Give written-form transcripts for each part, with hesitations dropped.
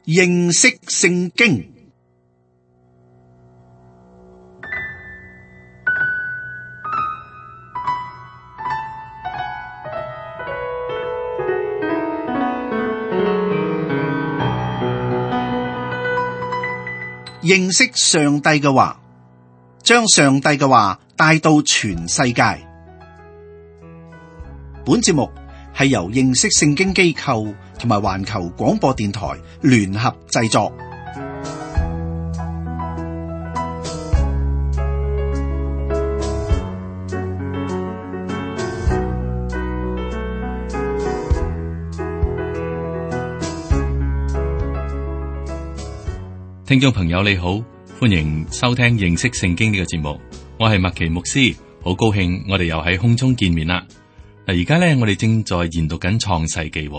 認識聖經。認識上帝嘅話，將上帝嘅話帶到全世界。本節目係由認識聖經機構同埋環球廣播電台聯合製作。聽眾朋友你好，歡迎收聽認識聖經呢個節目，我係麥奇牧師，好高興我哋又喺空中見面啦。嗱，而家咧我哋正在研讀緊創世記。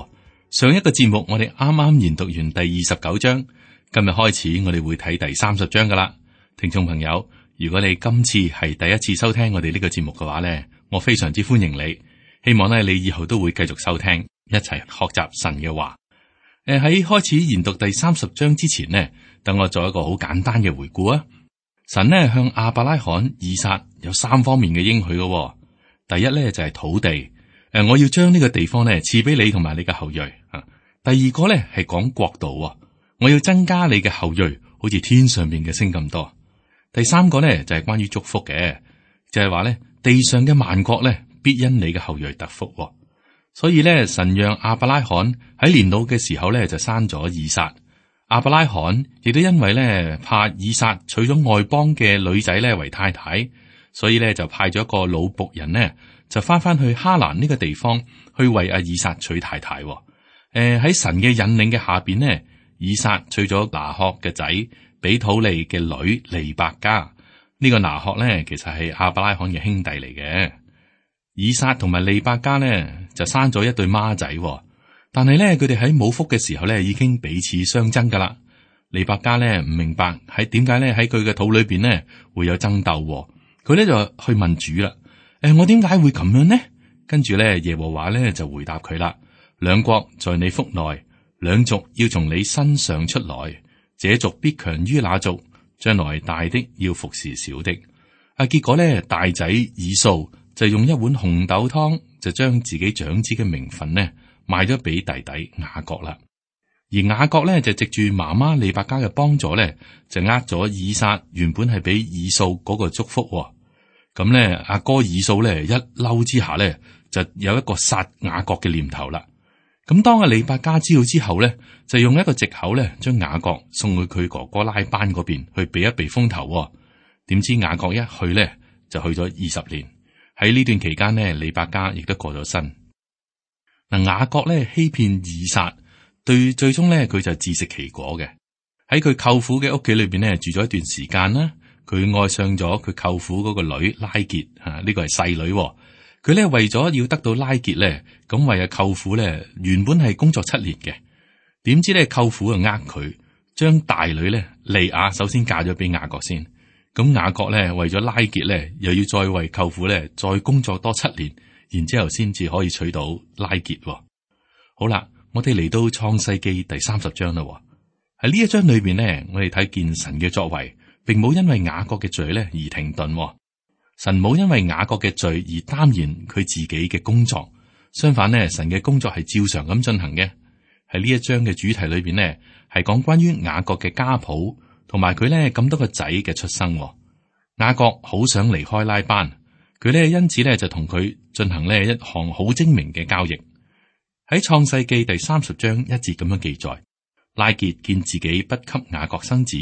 上一個節目我哋啱啱研讀完第29章，今日開始我哋會睇第30章噶啦。聽眾朋友，如果你今次係第一次收聽我哋呢個節目嘅話咧，我非常之歡迎你，希望咧你以後都會繼續收聽，一齊學習神嘅話。喺開始研讀第30章之前呢，等我做一個好簡單嘅回顧啊。神呢向亞伯拉罕、以撒有3方面嘅應許嘅。第一呢就係土地，我要將呢個地方呢賜俾你同埋你嘅後裔。第二個呢係講國度，我要增加你嘅後裔，好似天上面嘅星咁多。第三個呢就係關於祝福嘅，就係話呢地上嘅萬國呢必因你嘅後裔得福。所以呢，神讓亞伯拉罕喺年老嘅時候呢就生咗以撒。亞伯拉罕亦都因為呢怕以撒娶咗外邦嘅女仔呢為太太，所以呢就派咗一個老僕人呢就翻去哈蘭呢個地方去為阿以撒娶太太。喺神嘅引領嘅下邊呢，以撒娶咗拿鶴嘅仔比土利嘅女利百加。呢個拿鶴呢其實係亞伯拉罕嘅兄弟嚟嘅。以撒同埋利百加呢就生咗一對孖仔，但係咧佢哋喺母腹嘅時候咧已經彼此相爭噶啦。利百加咧唔明白喺點解咧喺佢嘅肚裏邊咧會有爭鬥，佢咧就去問主啦。我點解會咁樣呢？跟住咧耶和華咧就回答佢啦：兩國在你腹內，兩族要從你身上出來，這族必強於那族，將來大的要服侍小的。結果咧大仔以掃就用一碗紅豆湯，就將自己長子嘅名分呢賣咗俾弟弟雅各啦。而雅各呢，就藉住媽媽利百加嘅幫助呢，就咗以撒原本係俾以掃嗰個祝福。咁呢，阿哥以掃呢，一嬲之下呢，就有一個殺雅各嘅念頭啦。咁當阿利百加知道之後呢，就用一個藉口呢，將雅各送去佢哥哥拉班嗰邊去避一避風頭。點知雅各一去呢，就去咗20年。喺呢段期間呢，利百加亦都過咗身。嗱，雅各咧欺騙以撒，最終咧佢就自食其果嘅。喺佢舅父嘅屋企裏邊咧住咗一段時間啦，佢愛上咗佢舅父嗰個女拉結吓，呢個係細女。佢咧為咗要得到拉結咧，咁為阿舅父咧原本係工作7年嘅，點知咧舅父就佢，將大女咧利亞首先嫁咗俾雅各先。咁雅各咧為咗拉結咧，又要再為舅父咧再工作多7年，然之後先至可以娶到拉結。好啦，我哋嚟到創世記第30章啦。喺呢一章裏邊呢，我哋睇見神嘅作為，並冇因為雅各嘅罪咧而停頓。神冇因為雅各嘅罪而耽延佢自己嘅工作，相反呢，神嘅工作係照常咁進行嘅。喺呢一章嘅主題裏邊呢，係講關於雅各嘅家譜。同埋佢咧咁多個仔嘅出生。雅各好想離開拉班，佢咧因此咧就同佢進行呢一項好精明嘅交易。喺創世記第30章1節咁樣記載：拉結見自己不給雅各生子，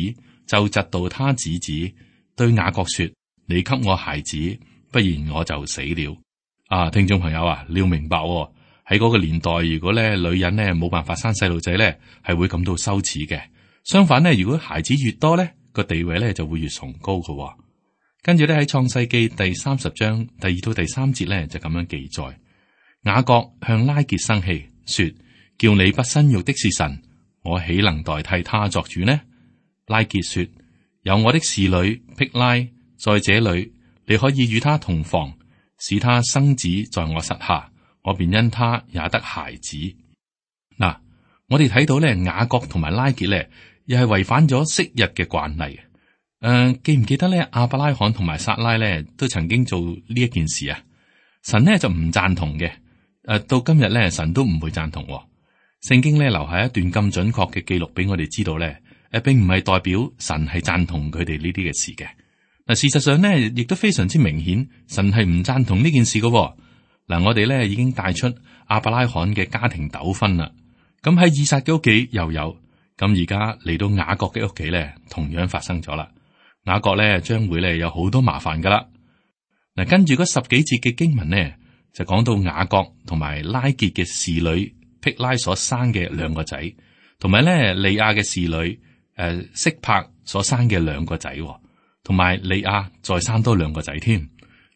就嫉妒他姊姊，對雅各說：你給我孩子，不然我就死了。聽眾朋友啊，你要明白喺嗰個年代，如果咧女人咧冇辦法生細路仔咧，係會感到羞恥嘅。相反咧，如果孩子越多咧，個地位咧就會越崇高嘅。跟住咧喺創世記第30章第2到第3節咧就咁樣記載：雅各向拉結生氣，說：叫你不生育的是神，我豈能代替他作主呢？拉結說：有我的侍女辟拉在這裏，你可以與他同房，使他生子在我膝下，我便因他也得孩子。嗱。我哋睇到咧雅各同埋拉結咧，又係違反咗昔日嘅慣例。記唔記得咧亞伯拉罕同埋撒拉咧都曾經做呢一件事啊？神呢就唔贊同嘅。到今日咧，神都唔會贊同。聖經咧留下一段咁準確嘅記錄俾我哋知道咧，並唔係代表神係贊同佢哋呢啲嘅事嘅。嗱，事實上呢，亦都非常之明顯，神係唔贊同呢件事嘅。嗱，我哋咧已經帶出亞伯拉罕嘅家庭糾紛啦。咁喺以撒嘅屋企又有，咁而家嚟到雅各嘅屋企咧，同樣發生咗啦。雅各咧將會咧有好多麻煩噶啦。嗱，跟住嗰10幾節嘅經文呢，就講到雅各同埋拉結嘅侍女辟拉所生嘅2個仔，同埋咧利亞嘅侍女色柏所生嘅2個仔，同埋利亞再生多2個仔添。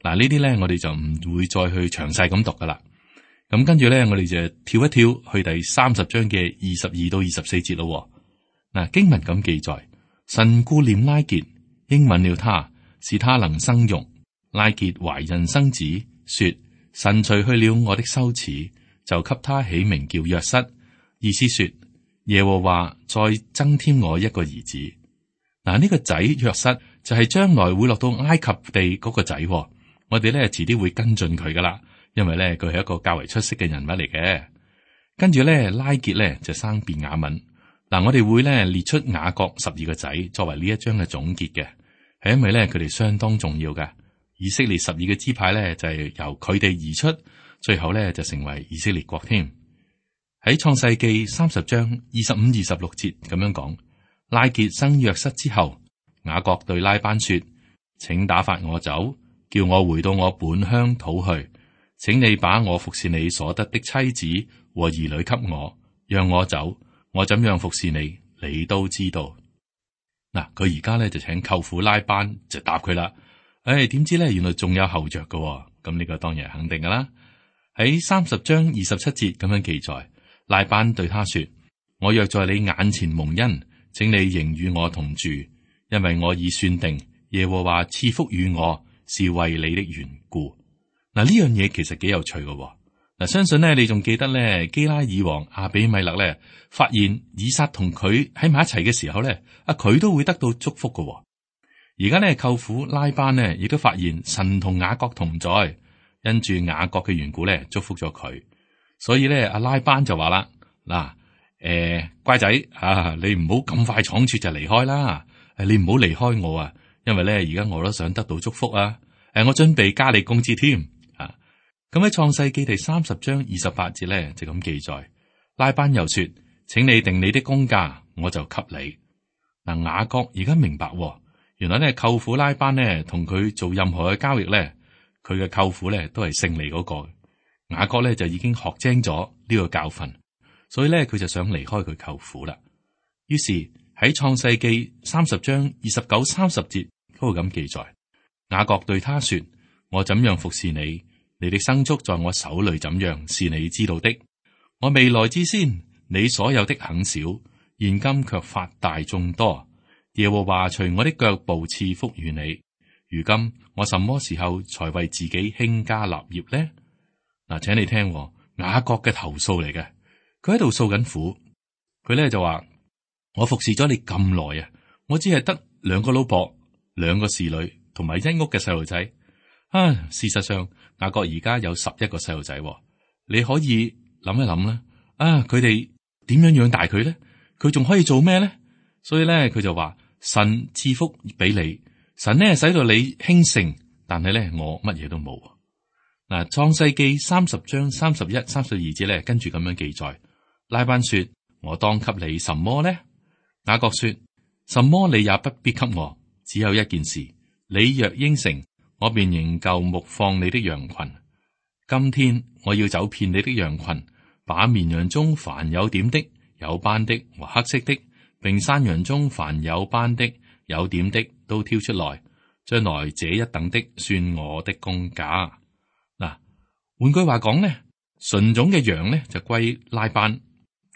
嗱，呢啲咧我哋就唔會再去詳細咁讀噶啦。咁跟住咧，我哋就跳一跳去第30章嘅22到24節咯。嗱，經文咁記載，神顧念拉結，應允了他，使他能生育。拉結懷孕生子，說：神除去了我的羞恥，就給他起名叫約瑟，意思說耶和華再增添我一個兒子。嗱，呢個仔約瑟就係將來會落到埃及地嗰個仔。我哋咧遲啲會跟進佢噶啦。因為咧佢係一個較為出色嘅人物嚟嘅。跟住咧拉結咧就生便雅憫。嗱，我哋會咧列出雅各12個仔作為呢一章嘅總結嘅，係因為咧佢哋相當重要嘅。以色列12個支派咧就係由佢哋而出，最後咧就成為以色列國添。喺創世記30章25、26節咁樣講，拉結生約瑟之後，雅各對拉班說：請打發我走，叫我回到我本鄉土去。請你把我服侍你所得的妻子和兒女給我，讓我走。我怎樣服侍你，你都知道。嗱，佢而家咧就請舅父拉班就答佢啦。點知咧原來仲有後着嘅，咁呢個當然係肯定噶啦。喺30章27節咁樣記載，拉班對他說：我若在你眼前蒙恩，請你仍與我同住，因為我已算定耶和華賜福與我，是為你的緣故。嗱，呢樣嘢其實幾有趣嘅。嗱，相信咧你仲記得咧基拉耳王亞比米勒咧發現以撒同佢喺埋一齊嘅時候咧，佢都會得到祝福嘅。而家咧舅父拉班呢亦都發現神同雅各同在，因住雅各嘅緣故咧祝福咗佢。所以咧阿拉班就話啦：嗱，乖仔你唔好咁快倉促就離開啦，你唔好離開我啊，因為咧而家我都想得到祝福啊，我準備加你工資添。咁喺創世記第30章28節咧就咁記載，拉班又說：請你定你的工價，我就給你。嗱，雅各而家明白，原來咧舅父拉班呢同佢做任何嘅交易咧，佢嘅舅父咧都係勝利嗰個。雅各咧就已經學精咗呢個教訓，所以咧佢就想離開佢舅父啦。於是喺創世記30章29、30節嗰度咁記載，雅各對他說：我怎樣服侍你，你的牲畜在我手裏怎樣，是你知道的。我未來之先，你所有的很少，現今卻發大眾多。耶和華隨我的腳步賜福與你。如今我什麼時候才為自己興家立業呢？嗱，請你聽雅各嘅投訴嚟嘅，佢喺度訴緊苦。佢咧就話：我服侍咗你咁耐啊，我只係得2個老婆、2個侍女同埋一屋嘅細路仔。事實上雅各而家有11個細路仔，你可以諗一諗啦。佢哋點樣養大佢咧？佢仲可以做咩咧？所以咧，佢就話神賜福俾你，神呢使到你興盛，但係咧我乜嘢都冇。嗱，創世記30章31、32節咧，跟住咁樣記載，拉班說：我當給你什麼呢？雅各說：什麼你也不必給我，只有一件事，你若應承，我便仍舊牧放你的羊群。今天我要走遍你的羊群，把綿羊中凡有點的、有斑的和黑色的，並山羊中凡有斑的、有點的都挑出來，將來這一等的算我的工價。嗱，換句話講呢，純種嘅羊呢就歸拉班，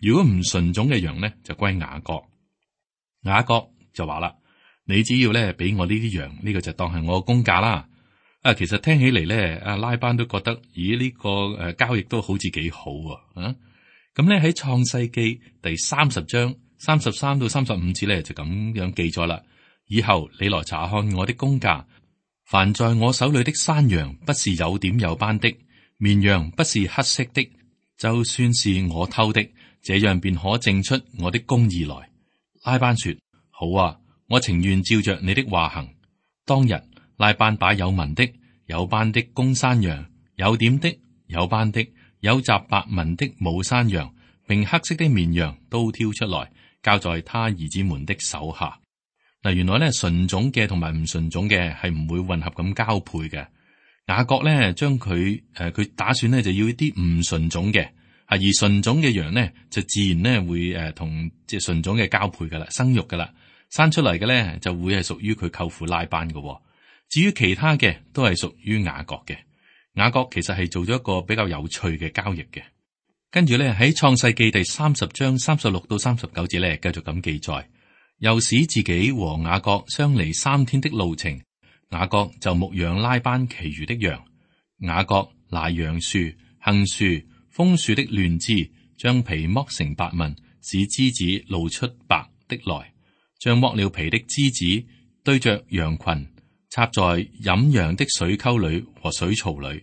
如果唔純種嘅羊呢就歸雅各。雅各就話啦：你只要咧俾我呢啲羊，呢個就當係我嘅工價啦。其實聽起嚟咧，阿拉班都覺得，咦，呢個交易都好似幾好啊。咁咁咧喺創世記第30章33到35節咧就咁樣記載啦。以後你來查看我的公價，凡在我手裏的山羊不是有點有斑的，綿羊不是黑色的，就算是我偷的，這樣便可證出我的公義來。拉班說：好啊，我情願照着你的話行。當日拉班把有紋的、有斑的公山羊、有點的、有斑的、有雜白紋的母山羊，並黑色的綿羊都挑出來，交在他兒子們的手下。嗱，原來咧純種嘅同埋唔純種嘅係唔會混合咁交配嘅。雅各咧將佢打算咧就要一啲唔純種嘅，而純種嘅羊咧就自然咧會同即係純種嘅交配噶啦，生育噶啦，生出嚟嘅咧就會係屬於佢舅父拉班嘅。至於其他嘅都係屬於雅各嘅。雅各其實係做咗一個比較有趣嘅交易嘅。跟住咧喺創世記第30章36到39節咧繼續咁記載。又使自己和雅各相離3天的路程，雅各就牧養拉班其餘的羊。雅各拿楊樹、杏樹、楓樹的嫩枝，將皮剝成白紋，使枝子露出白的來，將剝了皮的枝子對着羊群，插在飲羊的水溝裏和水槽裏。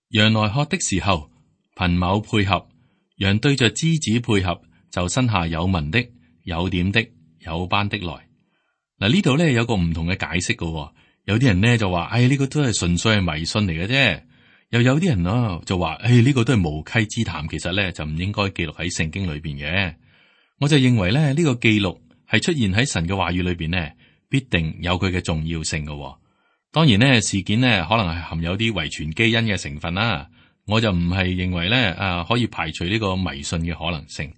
羊來喝的時候，牝牛配合，羊對着枝子配合，就生下有紋的、有點的、有斑的來。嗱，呢度咧有個唔同嘅解釋嘅。有啲人咧就話，呢個都係純粹係迷信嚟嘅啫。又有啲人就話，呢個都係無稽之談，其實咧就唔應該記錄喺聖經裏邊嘅。我就認為咧呢個記錄係出現喺神嘅話語裏邊呢，必定有佢嘅重要性嘅。當然呢，事件呢可能係含有啲遺傳基因嘅成分啦。我就唔係認為咧可以排除呢個迷信嘅可能性。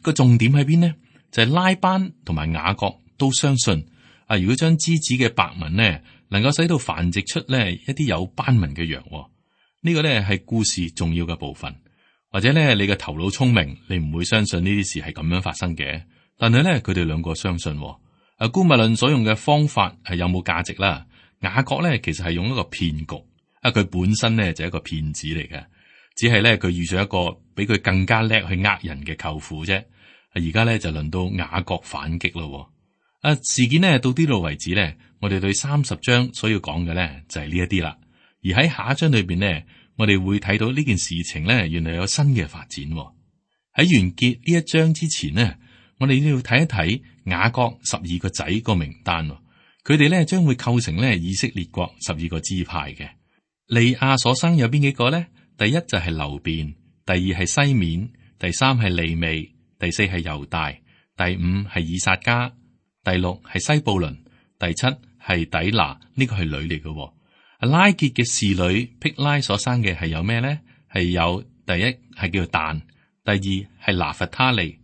個重點喺邊呢？就係拉班同埋雅各都相信如果將枝子嘅白紋呢，能夠使到繁殖出呢一啲有斑紋嘅羊。呢個呢係故事重要嘅部分。或者呢，你嘅頭腦聰明，你唔會相信呢啲事係咁樣發生嘅。但係呢，佢哋兩個相信。姑勿論所用嘅方法係有冇價值啦。雅各呢其實係用一個騙局。佢本身呢就係一個騙子嚟嘅，只係呢，佢遇上一個比佢更加叻去呃人嘅舅父啫。而家咧就輪到雅各反擊咯。事件呢到呢度為止呢，我哋對30章所要講嘅呢就係呢一啲啦。而喺下一章裏邊呢，我哋會睇到呢件事情呢原來有新嘅發展。喺完結呢一章之前呢，我哋都要睇一睇雅各12個仔個名單。佢哋呢將會構成呢以色列國12個支派嘅。利亞所生有邊幾個呢？第一就係流便，第二係西緬，第三係利未，第四係猶大，第五係以撒迦，第六係西布倫，第七係底拿，呢個係女嚟嘅。拉結嘅侍女辟拉所生嘅係有咩呢？係有第一係叫但，第二係拿弗他利。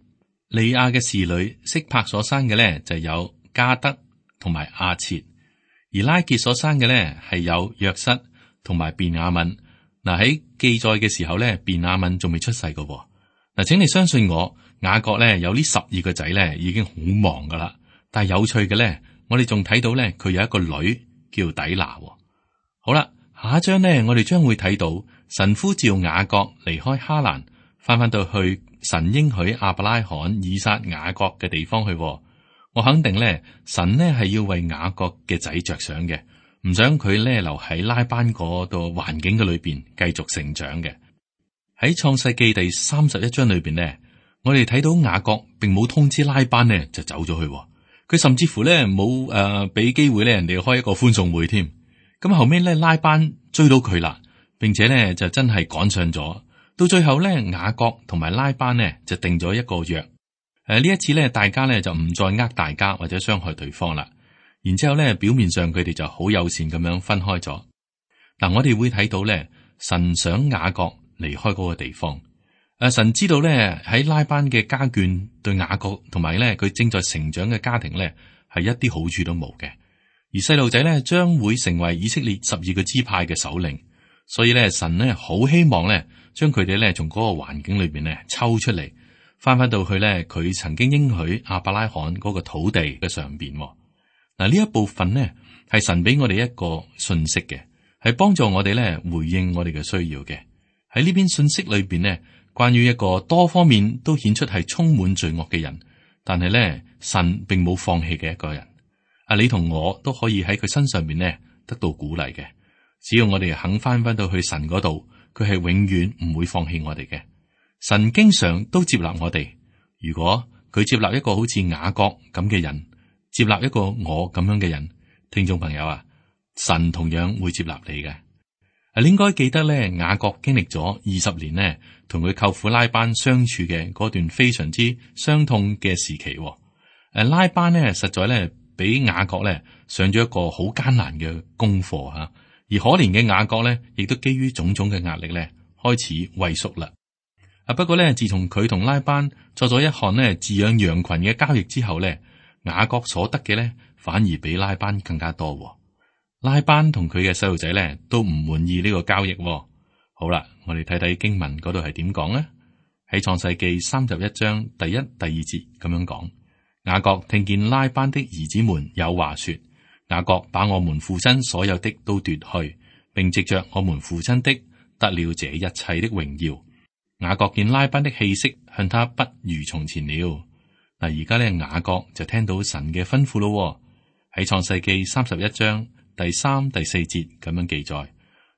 利亞嘅侍女色柏所生嘅呢就有加德同埋亞設，而拉結所生嘅呢係有約瑟同埋便雅憫。喺記載嘅時候呢，便雅憫仲未出世嘅。請你相信我。雅各咧有呢12個仔咧，已經好忙噶啦。但係有趣嘅咧，我哋仲睇到咧，佢有一個女叫底拿。好啦，下一章咧，我哋將會睇到神呼召雅各離開哈蘭，翻到去神應許亞伯拉罕、以撒、雅各嘅地方去。我肯定咧，神呢係要為雅各嘅仔着想嘅，唔想佢咧留喺拉班嗰度環境嘅裏邊繼續成長嘅。喺創世記第31章裏邊呢。我哋睇到雅各並冇通知拉班呢，就走咗去。佢甚至乎咧冇俾機會咧人哋開一個歡送會添。咁後尾咧拉班追到佢啦，並且咧就真係趕上咗。到最後咧雅各同埋拉班呢就定咗一個約。呢一次咧大家咧就唔再呃大家或者傷害對方啦。然之後咧表面上佢哋就好友善咁樣分開咗。嗱，我哋會睇到咧神想雅各離開嗰個地方。神知道咧喺拉班嘅家眷對雅各同埋咧佢正在成長嘅家庭咧係一啲好處都冇嘅，而細路仔咧將會成為以色列12個支派嘅首領，所以咧神咧好希望咧將佢哋咧從嗰個環境裏邊咧抽出嚟，翻到去咧佢曾經應許亞伯拉罕嗰個土地嘅上邊。嗱，呢一部分呢係神俾我哋一個信息嘅，係幫助我哋咧回應我哋嘅需要嘅。喺呢邊信息裏邊呢，關於一個多方面都顯出係充滿罪惡嘅人，但係咧神並冇放棄嘅一個人。你同我都可以喺佢身上面咧得到鼓勵嘅。只要我哋肯翻到去神嗰度，佢係永遠唔會放棄我哋嘅。神經常都接納我哋。如果佢接納一個好似雅各咁嘅人，接納一個我咁樣嘅人，聽眾朋友啊，神同樣會接納你嘅。你應該記得咧，雅各經歷咗20年呢，同佢舅父拉班相處嘅嗰段非常之傷痛嘅時期。拉班呢，實在咧俾雅各咧上咗一個好艱難嘅功課吓，而可憐嘅雅各咧，亦都基於種種嘅壓力咧，開始畏縮啦。不過咧，自從佢同拉班作咗一項呢飼養羊群嘅交易之後咧，雅各所得嘅咧反而比拉班更加多。拉班同佢嘅細路仔咧都唔滿意呢個交易。好啦，我哋睇睇經文嗰度係點講呢？喺創世記31章第1、第2節咁樣講：雅各聽見拉班的兒子們有話說，雅各把我們父親所有的都奪去，並藉着我們父親的得了這一切的榮耀。雅各見拉班的氣息向他不如從前了。嗱，而家咧雅各就聽到神嘅吩咐咯。喺創世記31章第3、第4節咁樣記載，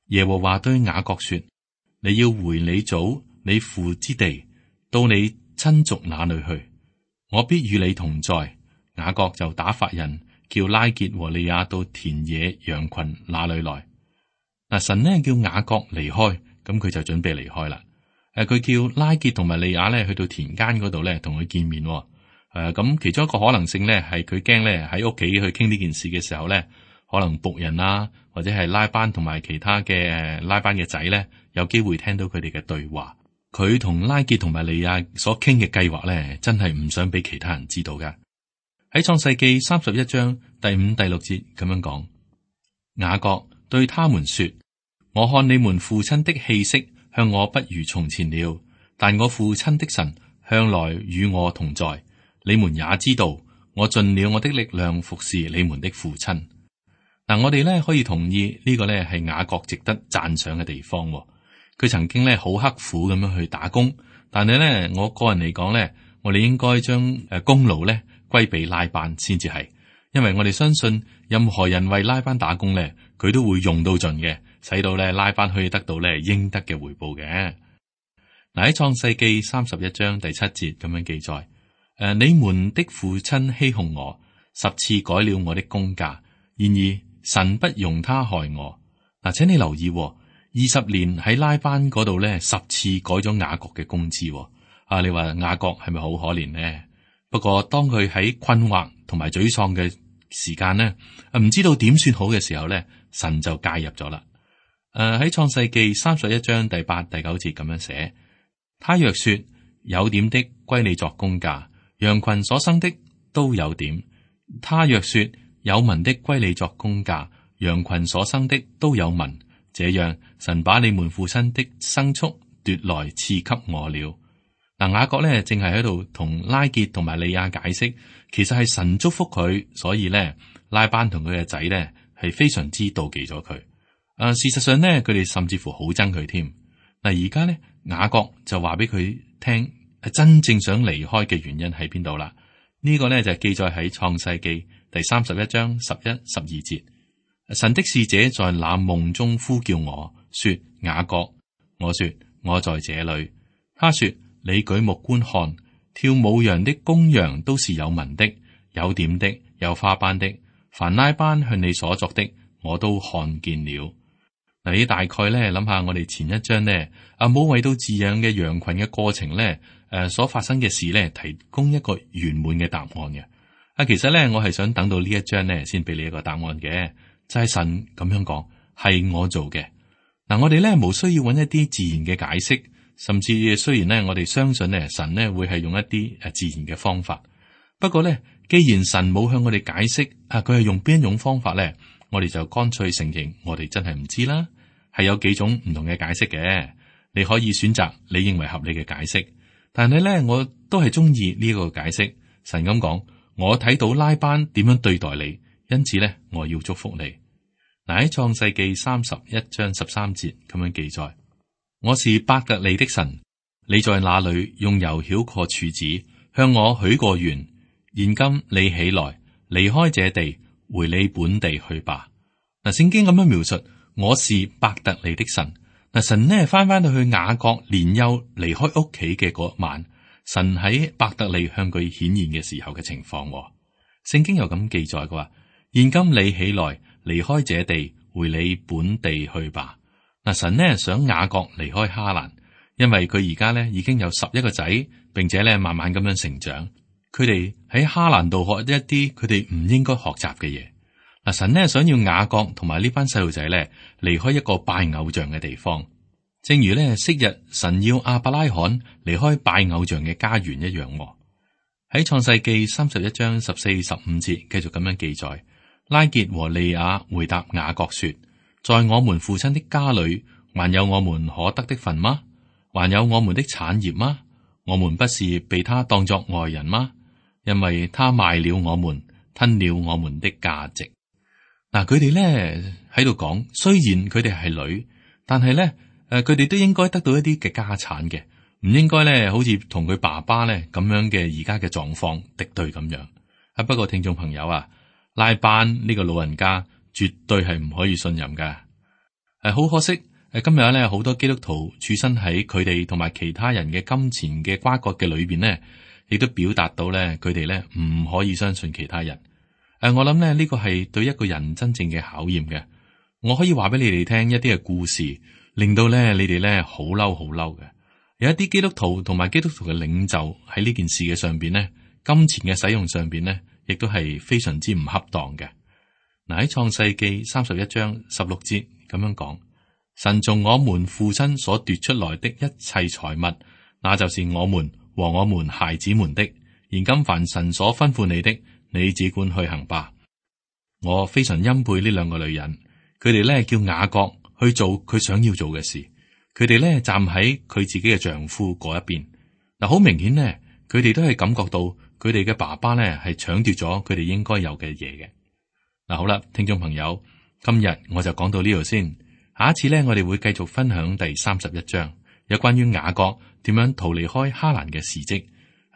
耶和華對雅各說：你要回你祖你父之地，到你親族那裏去，我必與你同在。雅各就打發人叫拉結和利亞到田野羊群那裏來。嗱，神呢叫雅各離開，咁佢就準備離開啦。佢叫拉結同埋利亞咧去到田間嗰度咧同佢見面。咁其中一個可能性咧係佢驚咧喺屋企去傾呢件事嘅時候咧，可能僕人啊或者係拉班同埋其他嘅拉班嘅仔咧有機會聽到佢哋嘅對話。佢同拉結同埋利亞所傾嘅計劃咧，真係唔想俾其他人知道噶。喺創世記31章第5、第6節咁樣講，雅各對他們說：我看你們父親的氣息向我不如從前了，但我父親的神向來與我同在。你們也知道，我盡了我的力量服侍你們的父親。嗱，我哋咧可以同意呢個咧係雅各值得讚賞嘅地方。佢曾經咧好刻苦咁樣去打工，但係咧我個人嚟講咧，我哋應該將功勞咧歸俾拉班先至係，因為我哋相信任何人為拉班打工咧，佢都會用到盡嘅，使到咧拉班可以得到咧應得嘅回報嘅。嗱，喺創世記31章第7節咁樣記載：你們的父親欺哄我，10次改了我的工價，然而神不容他害我。嗱，請你留意，20年喺拉班嗰度咧10次改咗雅各嘅工資。你話雅各係咪好可憐呢？不過當佢喺困惑同埋沮喪嘅時間呢，唔知道點算好嘅時候咧，神就介入咗啦。喺創世記31章第8、第9節咁樣寫：他若說有點的歸你作工價，羊群所生的都有點；他若說有文的歸你作工價，羊群所生的都有文。這樣神把你們父親的牲畜奪來賜給我了。嗱，雅各咧正係喺度同拉結同埋利亞解釋，其實係神祝福佢，所以咧拉班同佢嘅仔咧係非常之妒忌咗佢。事實上咧，佢哋甚至乎好憎佢添。嗱，而家咧雅各就話俾佢聽，真正想離開嘅原因喺邊度啦？呢個咧就係記載喺創世記第31章11、12節。神的使者在那夢中呼叫我說：雅各。我說：我在這裏。他說：你舉目觀看，跳舞羊的公羊都是有紋的，有點的，有花斑的。凡拉班向你所作的，我都看見了。嗱，你大概咧諗下，我哋前一章呢，阿母為到飼養嘅羊群嘅過程咧，所發生嘅事咧，提供一個圓滿嘅答案嘅。其實咧，我係想等到呢一章咧，先俾你一個答案嘅。就係神咁樣講，係我做嘅。嗱，我哋咧冇需要揾一啲自然嘅解釋，甚至雖然咧我哋相信咧神咧會係用一啲自然嘅方法，不過咧既然神冇向我哋解釋佢係用邊一種方法咧，我哋就乾脆承認我哋真係唔知啦。係有幾種唔同嘅解釋嘅，你可以選擇你認為合理嘅解釋，但係咧我都係中意呢個解釋。神咁講，我睇到拉班點樣對待你。因此咧，我要祝福你。嗱，喺創世記31章13節咁樣記載：我是伯特利的神，你在那裏用油曉過柱子，向我許過願。現今你起來，離開這地，回你本地去吧。嗱，聖經咁樣描述，我是伯特利的神。嗱，神呢翻到去雅各年幼離開屋企嘅嗰晚，神喺伯特利向佢顯現嘅時候嘅情況。聖經又咁記載嘅話，現今你起來，離開這地，回你本地去吧。嗱，神呢想雅各離開哈蘭。因為佢而家咧已經有11個仔，並且咧慢慢咁樣成長，佢哋喺哈蘭度學一啲佢哋唔應該學習嘅嘢。嗱，神呢想要雅各同埋呢班細路仔咧離開一個拜偶像嘅地方，正如咧昔日神要亞伯拉罕離開拜偶像嘅家園一樣。喺創世記31章14、15節繼續咁樣記載，拉結和利亞回答雅各說：在我們父親的家裏，還有我們可得的份嗎？還有我們的產業嗎？我們不是被他當作外人嗎？因為他賣了我們，吞了我們的價值。嗱，佢哋咧喺度講，雖然佢哋係女，但係咧佢哋都應該得到一啲嘅家產嘅，唔應該咧好似同佢爸爸咧咁樣嘅而家嘅狀況敵對咁樣。不過聽眾朋友啊，拉班呢個老人家絕對係唔可以信任噶。好可惜。今日咧，好多基督徒處身喺佢哋同埋其他人嘅金錢嘅瓜葛嘅裏邊呢，亦都表達到咧，佢哋咧唔可以相信其他人。我諗咧呢個係對一個人真正嘅考驗嘅。我可以話俾你哋聽一啲嘅故事，令到咧你哋咧好嬲好嬲嘅。有一啲基督徒同埋基督徒嘅領袖喺呢件事嘅上邊呢，金錢嘅使用上邊呢，亦都係非常之唔恰當嘅。嗱，喺創世記31章16節咁樣講。神從我們父親所奪出來的一切財物，那就是我們和我們孩子們的。現今凡神所吩咐你的，你只管去行吧。我非常欽佩呢兩個女人，佢哋咧叫雅各去做佢想要做嘅事，佢哋咧站喺佢自己嘅丈夫嗰一邊。嗱，好明顯呢，佢哋都係感覺到佢哋嘅爸爸咧係搶奪咗佢哋應該有嘅嘢嘅。嗱，好啦，聽眾朋友，今日我就講到呢度先。下一次咧，我哋會繼續分享第31章，有關於雅各點樣逃離開哈蘭嘅事蹟。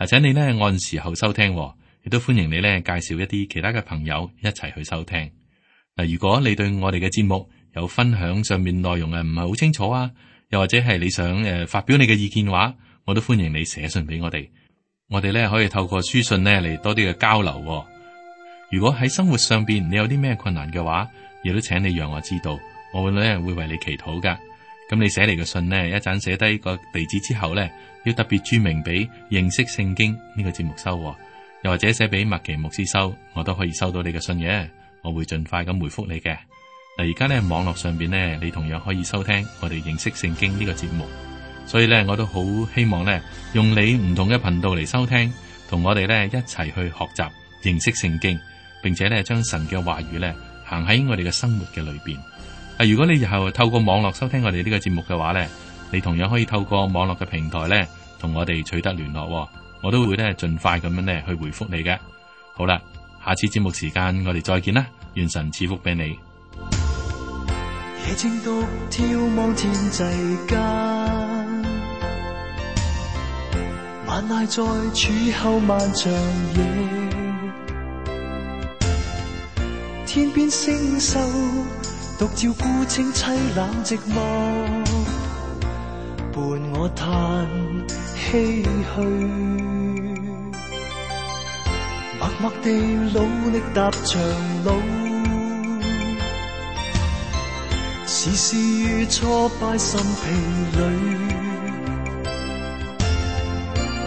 請你咧按時候收聽，亦都歡迎你咧介紹一啲其他嘅朋友一齊去收聽。嗱，如果你對我哋嘅節目有分享上面內容唔係好清楚啊，又或者係你想發表你嘅意見嘅話，我都歡迎你寫信俾我哋。我哋咧可以透過書信咧嚟多啲嘅交流。如果喺生活上邊你有啲咩困難嘅話，亦都請你讓我知道。我會為你祈禱噶，咁你寫嚟嘅信呢，一陣寫低個地址之後呢，要特別注明俾認識聖經呢個節目收，又或者寫俾麥奇牧師收，我都可以收到你嘅信嘅，我會盡快咁回覆你嘅。嗱，而家呢，網絡上邊呢，你同樣可以收聽我哋認識聖經呢個節目，所以呢，我都好希望呢，用你唔同嘅頻道嚟收聽，同我哋呢一齊去學習認識聖經，並且呢將神嘅話語呢行喺我哋嘅生活嘅裏邊。如果你以後透過網絡收聽我哋呢個節目嘅話咧，你同樣可以透過網絡嘅平台咧，同我哋取得聯絡，我都會咧盡快咁樣咧去回覆你嘅。好啦，下次節目時間我哋再見啦，願神賜福俾你。夜靜獨眺望天際間，晚籟在柱後漫長夜，天邊星宿獨照孤清凄冷寂寞，伴我嘆唏噓，默默地努力踏長路，時時遇挫敗心疲累，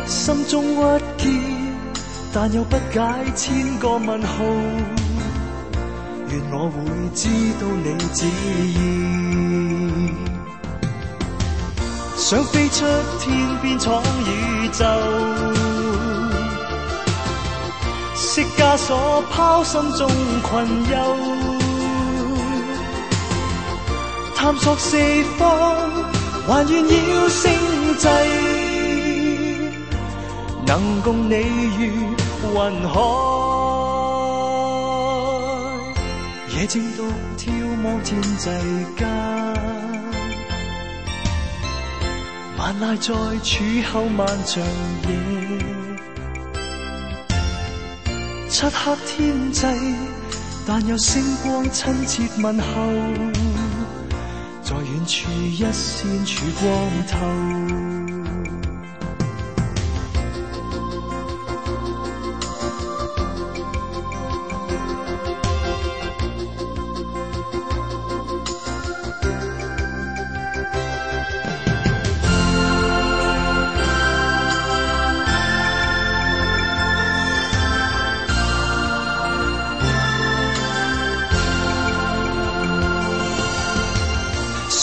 心中鬱結，但又不解千個問號。願我會知道你旨意，想飛出天邊闖宇宙，釋枷鎖拋心中困憂，探索四方，還願要星際，能共你於雲海。夜靜獨眺望天際間，萬籟在柱後漫長夜，漆黑天際，但有星光親切問候，在遠處一線曙光透。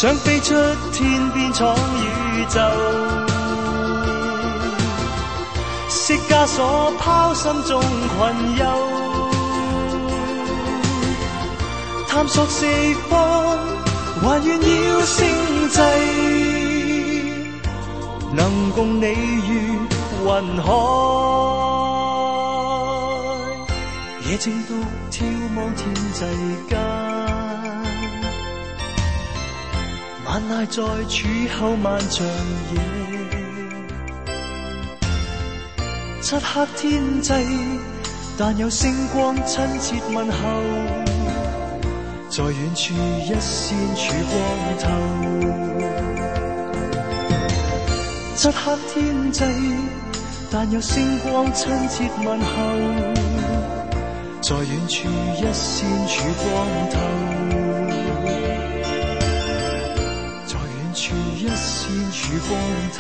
想飛出天邊闖宇宙，釋枷鎖拋心中困憂，探索四方，還願要星際，能共你於雲海，野靜獨眺望天際間。萬籟在柱後漫長夜，漆黑天際，但有星光親切問候，在遠處一線曙光透。漆黑天際，但有星光親切問候，在遠處一線曙光透。一線曙光透。